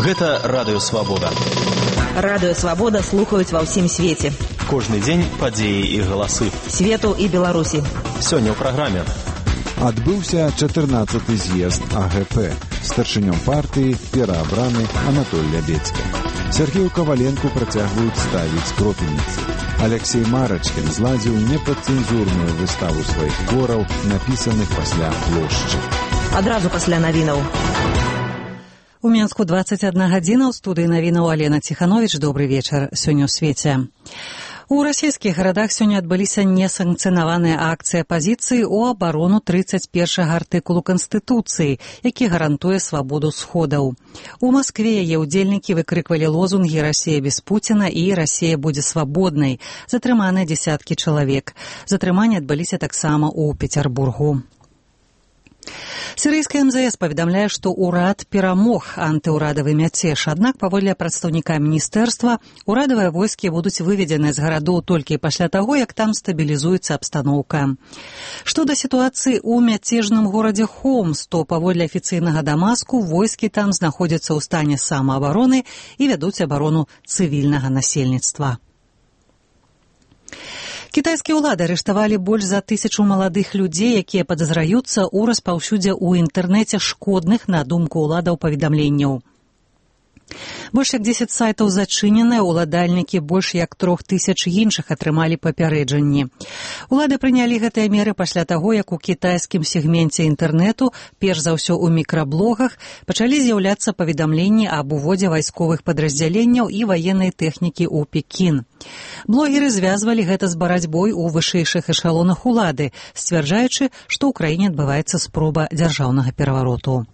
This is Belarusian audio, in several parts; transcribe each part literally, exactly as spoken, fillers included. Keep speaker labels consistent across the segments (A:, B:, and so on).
A: Гэта Радыё Свабода.
B: Радыё Свабода слухаюць ва ўсім свеце.
A: Кожны дзень падзеі і галасы.
B: Свету і Беларусі.
A: Сёння ў праграме.
C: Адбыўся чатырнаццаты з'езд А Г П. Старшынём партыі пераабраны Анатоль Лябедзькі. Сергею Каваленку працягваюць ставіць кропельніцы. Алексей Марачкін зладзіў непадцэнзурную выставу сваіх твораў, напісаных пасля плошчы.
B: Адразу пасля навінаў.
D: У Менску дваццаць адна гадзіна, ў студыі навінаў Алена Ціхановіч. Добры вечар. Сёння ў свеце. У расійскіх гарадах сёння адбыліся несанкцыянаваныя акцыі апазіцыі ў абарону трыццаць першага артыкулу Канстытуцыі, які гарантуе свабоду сходаў. У Маскве яе ўдзельнікі выкрыквалі лозунгі «Расія без Пуціна» і «Расія будзе свабоднай». Затрыманыя дзесяткі чалавек. Затрыманні адбыліся таксама ў Пецярбургу. Сірыйская эм зэ эс паведамляе, што ўрад перамог антыўрадавы мяцеж, аднак паводле прадстаўніка міністэрства урадавыя войскі будуць выведзены з гарадоў толькі пасля таго, як там стабілізуецца абстаноўка. Што да сітуацыі ў мяцежным горадзе Хомс, то паводле афіцыйнага Дамаску войскі там знаходзяцца ў стане самаабароны і вядуць абарону цывільнага насельніцтва. Кітайскія ўлады арыштавалі больш за тысячу маладых людзей, якія падазраюцца ў распаўсюдзе ў інтэрнэце шкодных, на думку ўладаў, паведамленняў. Больш як дзесяць сайтаў зачыненыя, уладальнікі больш як трох тысяч іншых атрымалі папярэджанні. Улады прынялі гэтыя меры пасля таго, як у кітайскім сегменце інтэрнэту, перш за ўсё ў мікраблогах, пачалі з'яўляцца паведамленні аб уводзе вайсковых падраздзяленняў і ваеннай тэхнікі ў Пекін. Блогеры звязвалі гэта з барацьбой у вышэйшых эшалонах улады, сцвярджаючы, што ў краіне адбываецца спроба дзяржаўнага перавароту.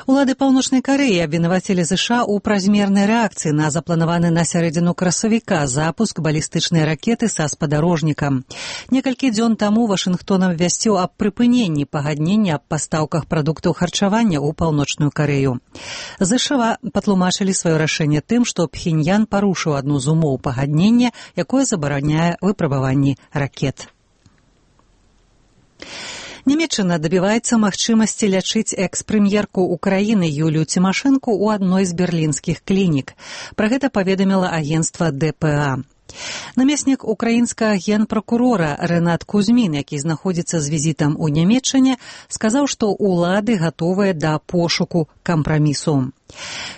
D: Улады Паўночнай Карэі абвінавацілі ЗША ў празмернай рэакцыі на запланаваны на сярэдзіну красавіка запуск балістычнай ракеты са спадарожнікам. Некалькі дзён таму Вашынгтон абвясціў аб прыпыненні пагаднення аб пастаўках прадуктаў харчавання ў Паўночную Карэю. ЗША патлумачылі сваё рашэнне тым, што Пхеньян парушыў адну з умоў пагаднення, якое забараняе выпрабаванні ракет. Нямецчына дабіваецца магчымасці лячыць экс-прэм'ерку Украіны Юлію Цімашэнку ў адной з берлінскіх клінік. Пра гэта паведаміла агенцтва Дэ Пэ А. Намеснік украінскага генпракурора Рэнат Кузьмін, які знаходзіцца з візітам у Нямецчыне, сказаў, што ўлады гатовыя да пошуку кампрамісу.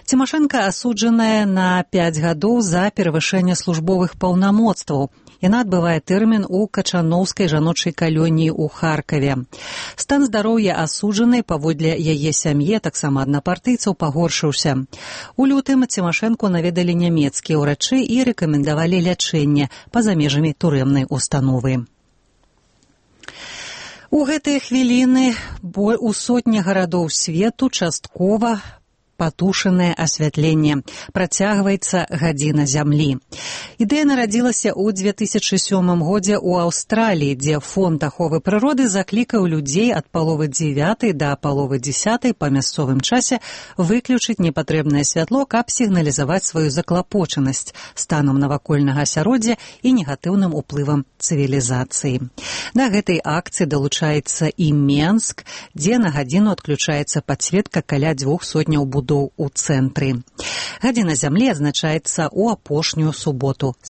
D: Цімашэнка асуджаная на пяць гадоў за перавышэнне службовых паўнамоцтваў. Яна адбывае тэрмін у Качаноўскай жаночай калоніі ў Харкаве. Стан здароўя асуджанай паводле яе сям'і, таксама аднапартыйцаў, пагоршыўся. У лютым Цімашэнку наведалі нямецкія ўрачы і рэкамендавалі лячэнне па-за межамі турэмнай установы. У гэтыя хвіліны у сотні гарадоў свету часткова патушанае асвятленне. Працягваецца гадзіна зямлі. Ідэя нарадзілася ў дзве тысячы сёмым годзе ў Аўстраліі, дзе фонд аховы прыроды заклікаў людзей ад паловы дзевятай да паловы дзесятай па мясцовым часе выключыць непатрэбнае святло, каб сігналізаваць сваю заклапочанасць станам навакольнага асяроддзя і негатыўным уплывам цывілізацыі. Да гэтай акцыі далучаецца і Менск, дзе на гадзіну адключаецца падсветка каля дзвюх сотняў будоў у цэнтры. Гадзіна зямлі адзначаецца ў апошнюю суботу